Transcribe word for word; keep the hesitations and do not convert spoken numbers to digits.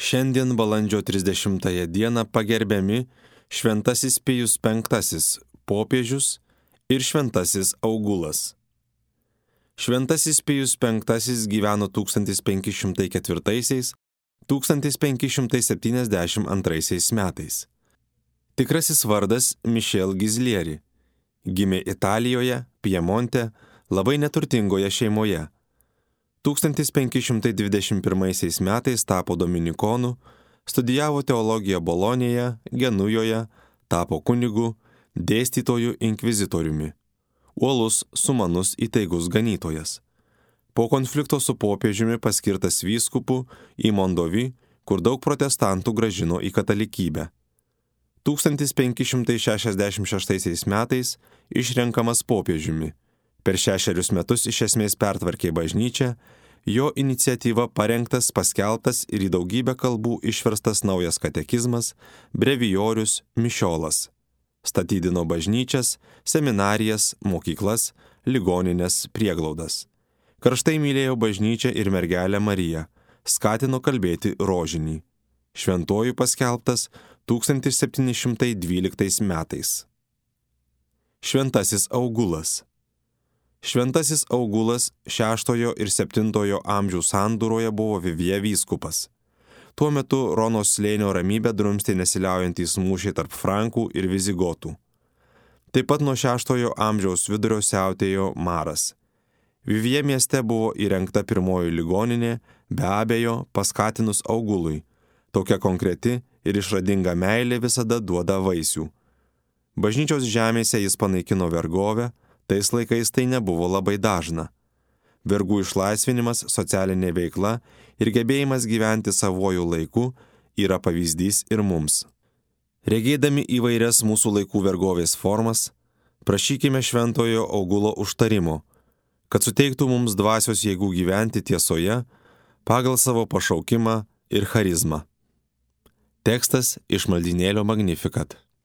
Šiandien balandžio trisdešimtąją dieną pagerbiami Šventasis Pijus penktasis popiežius ir Šventasis Augulas. Šventasis Pijus penktasis gyveno tūkstantis penki šimtai ketvirtaisiais - tūkstantis penki šimtai septyniasdešimt antraisiais metais. Tikrasis vardas Michel Gizlieri. Gimė Italijoje, Piemonte, labai neturtingoje šeimoje. tūkstantis penki šimtai dvidešimt pirmaisiais metais tapo dominikonu, studijavo teologiją Bolonėje, Genujoje, tapo kunigu, dėstytoju inkvizitoriumi. Uolus, sumanus, įtaigus ganytojas. Po konflikto su popiežiumi paskirtas vyskupu į Mondovi, kur daug protestantų grąžino į katalikybę. tūkstantis penki šimtai šešiasdešimt šeštaisiais metais išrenkamas popiežiumi. Per šešerius metus iš esmės pertvarkė bažnyčią, jo iniciatyva parengtas, paskeltas ir į daugybę kalbų išverstas naujas katekizmas, brevijorius, mišiolas. Statydino bažnyčias, seminarijas, mokyklas, ligonines, prieglaudas. Karštai mylėjo bažnyčią ir mergelę Mariją, skatino kalbėti rožinį. Šventuoju paskelbtas tūkstantis septyni šimtai dvyliktais metais. Šventasis Augulas. Šventasis Augulas šeštojo ir septintojo amžių sandūroje buvo Vivie vyskupas. Tuo metu Ronos slėnio ramybę drumstė nesiliaujantys mūšiai tarp frankų ir vizigotų. Taip pat nuo šeštojo amžiaus vidurio siautėjo maras. Vivie mieste buvo įrengta pirmoji ligoninė, be abejo paskatinus Augului. Tokia konkreti ir išradinga meilė visada duoda vaisių. Bažnyčios žemėse jis panaikino vergovę, tais laikais tai nebuvo labai dažna. Vergų išlaisvinimas, socialinė veikla ir gebėjimas gyventi savojų laiku yra pavyzdys ir mums. Regėdami įvairias mūsų laikų vergovės formas, prašykime Šventojo Augulo užtarimo, kad suteiktų mums dvasios jėgų gyventi tiesoje pagal savo pašaukimą ir charizmą. Tekstas iš maldynėlio Magnificat.